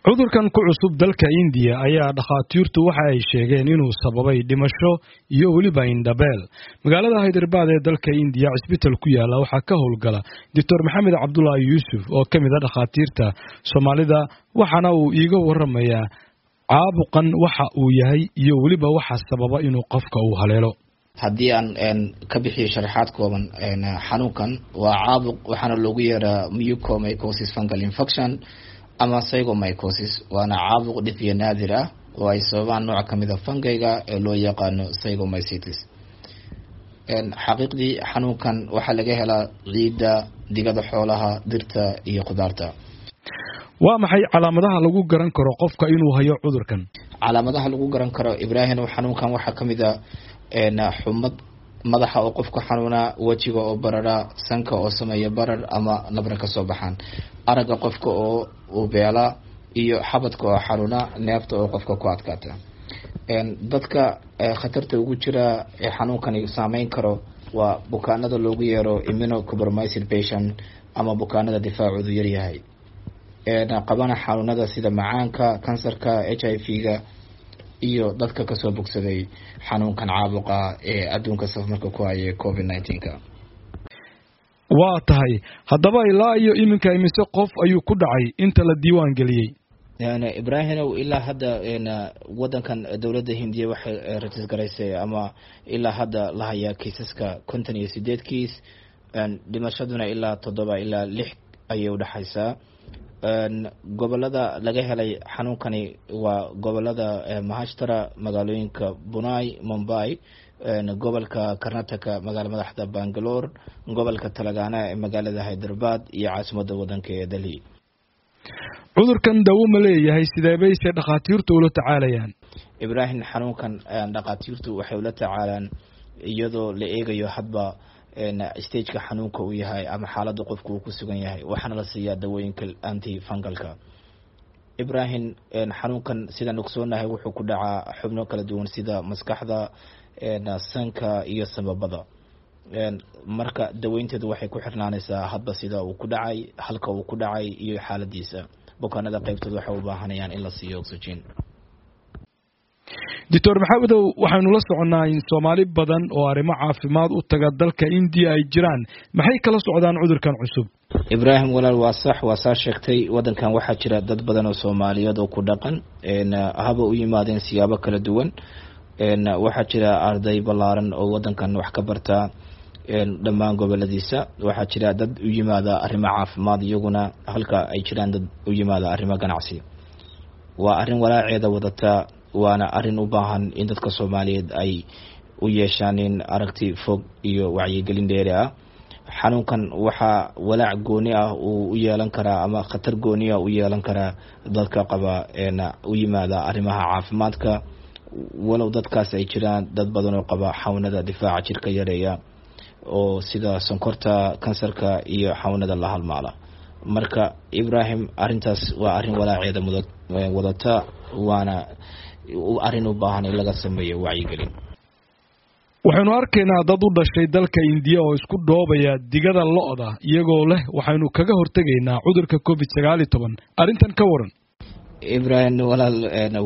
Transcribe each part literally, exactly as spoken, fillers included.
Cudurkan ku cusub dalka Indiya ayaa dhakhaatiirtu waxa ay sheegeen inuu sababay dhimasho iyo weliba indhabeel. Magaalada Hyderabad ee dalka Indiya cisbital ku yaala waxaa ka howlgala Doctor Maxamed Cabdulaahi Yuusuf oo ka mid ah dhakhaatiirta Soomaalida, waxaana uu iiga waramayaa caabuqan waxa uu yahay iyo weliba waxa sababa inuu qofka uu haleelo. Haddii aan ka bixiyo sharaxaad kooban, xanuunkan waa caabuq, waxaana loogu yeeraa mucormycosis fungal infection ama zygomycosis, waana caabuq dhif iyo naadir ah oo ay sababaan nooc kamid a fungayga ee loo yaqaano zygomycetes. Xaqiiqdii xanuunkan waxaa laga helaa ciidda, digada xoolaha, dirta iyo khudaarta. Waa maxay calaamadaha lagu garan karo qofka inuu hayo cudurkan? Calaamadaha lagu garan karo, Ibraahim, xanuunkan waxaa kamid a xumad, madaxa oo qofka xanuunaa, wejiga oo barara, sanka oo sameeya barar ama nabra kasoo baxaan, aragga qofka oo uu beela, iyo xabadka oo xanuuna, neefta oo qofka ku adkaata. Dadka khatarta ugu jira ee xanuunkani saameyn karo waa bukaanada loogu yeero immunocompromised patient ama bukaanada difaacoodu yaryahay, qabana xanuunada sida macaanka, kansarka, H I V-ga iyo dadka kasoo bogsaday xanuunkan caabuqa ee adduunka safmarka ku hayay covid nineteen-ka. Waa tahay, haddaba ilaa iyo iminka imise qof ayuu ku dhacay inta la diiwaan geliyey? Ibraahimow, ilaa hadda wadankan dowladda Hindiya waxay rajis garaysay ama ilaa hadda la hayaa kiisaska konton iyo sideed kiis, dhimashaduna ilaa toddoba ilaa lix ayay udhexaysaa. Gobolada laga helay xanuunkani waa gobolada Mahashtara, magaalooyinka Bunai, Mumbai, gobolka Karnataka, magaala madaxda Bangalore, gobolka Talagana ee magaalada Hyderabad iyo caasimadda wadanka ee Delhi. Cudurkan dawo ma leeyahay, sidee bayse dhakhaatiirtu ula tacaalayaan? Ibraahim, xanuunkan dhakhaatiirtu waxay ula tacaalaan iyadoo la eegayo hadba stageka xanuunka uu yahay ama xaaladda qofka uu ku sugan yahay, waxaana la siiyaa dawooyinka anti fungalka. Ibraahim, xanuunkan sidaan ogsoonahay wuxuu ku dhacaa xubno kala duwan sida maskaxda, sanka iyo sababada. Marka daweynteedu waxay ku xirnaanaysaa hadba sida uu ku dhacay, halka uu ku dhacay iyo xaaladiisa. Bukaanada qaybtood waxay u baahanayaan in la siiyo oxygen. Doctor Maxamedow, waxaynu la soconnaa in Soomaali badan oo arrimo caafimaad u taga dalka Indiya ay jiraan. Maxay kala socdaan cudurkan cusub? Ibraahim walaal, waa sax, waa saa sheegtay. Wadankan waxaa jira dad badan oo Soomaaliyeed oo ku dhaqan, haba u yimaadeen siyaabo kala duwan. Waxaa jira arday ballaaran oo wadankan wax ka barta dhammaan goboladiisa. Waxaa jira dad u yimaada arrimo caafimaad iyaguna, halka ay jiraan dad u yimaada arrimo ganacsi. Waa arrin walaaceeda wadata, waana arrin u baahan in dadka Soomaaliyeed ay u yeeshaan in aragti fog iyo wacyigelin dheeri ah. Xanuunkan waxaa walaac gooni ah uu u yeelan karaa ama khatar gooni ah u yeelan karaa dadka qaba u yimaada arrimaha caafimaadka, walow dadkaas ay jiraan dad badan oo qaba xanuunada difaaca jirka yareeya oo sida sonkorta, kansarka iyo xanuunada la halmaala. Marka Ibraahim, arrintaas waa arrin walaaceeda mud wadata, waana arrin u baahan in laga sameeyo wacyigelin. Waxaynu arkaynaa dad u dhashay dalka Indiya oo isku dhoobaya digada lo'da iyagoo leh waxaynu kaga hortegaynaa cudurka covid sagaal iyo toban. Arrintan ka waran? Ibraahim walaal,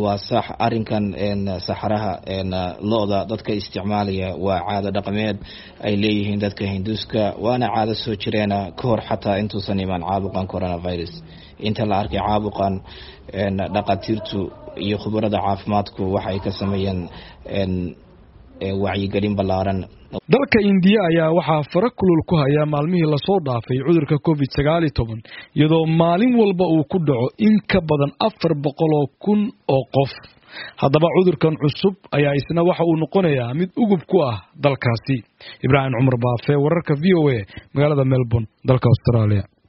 waa sax. Arrinkan saxaraha lo'da dadka isticmaalaya waa caado dhaqameed ay leeyihiin dadka Hinduuska, waana caado soo jireena ka hor xataa intuusan imaan caabuqan coronavirus. Inta la arkay caabuqan, dhakhaatiirtu iyo khubarada caafimaadku waxay ka sameeyeen wacyigelin ballaaran. Dalka Indiya ayaa waxaa fara kulul ku haya maalmihii lasoo dhaafay cudurka covid sagaal iyo toban, iyadoo maalin walba uu ku dhaco in ka badan afar boqol oo kun oo qof. Haddaba cudurkan cusub ayaa isna waxa uu noqonayaa mid ugub ku ah dalkaasi. Ibraahim Cumar Baafe, wararka V O A, magaalada Melbourne, dalka Australia.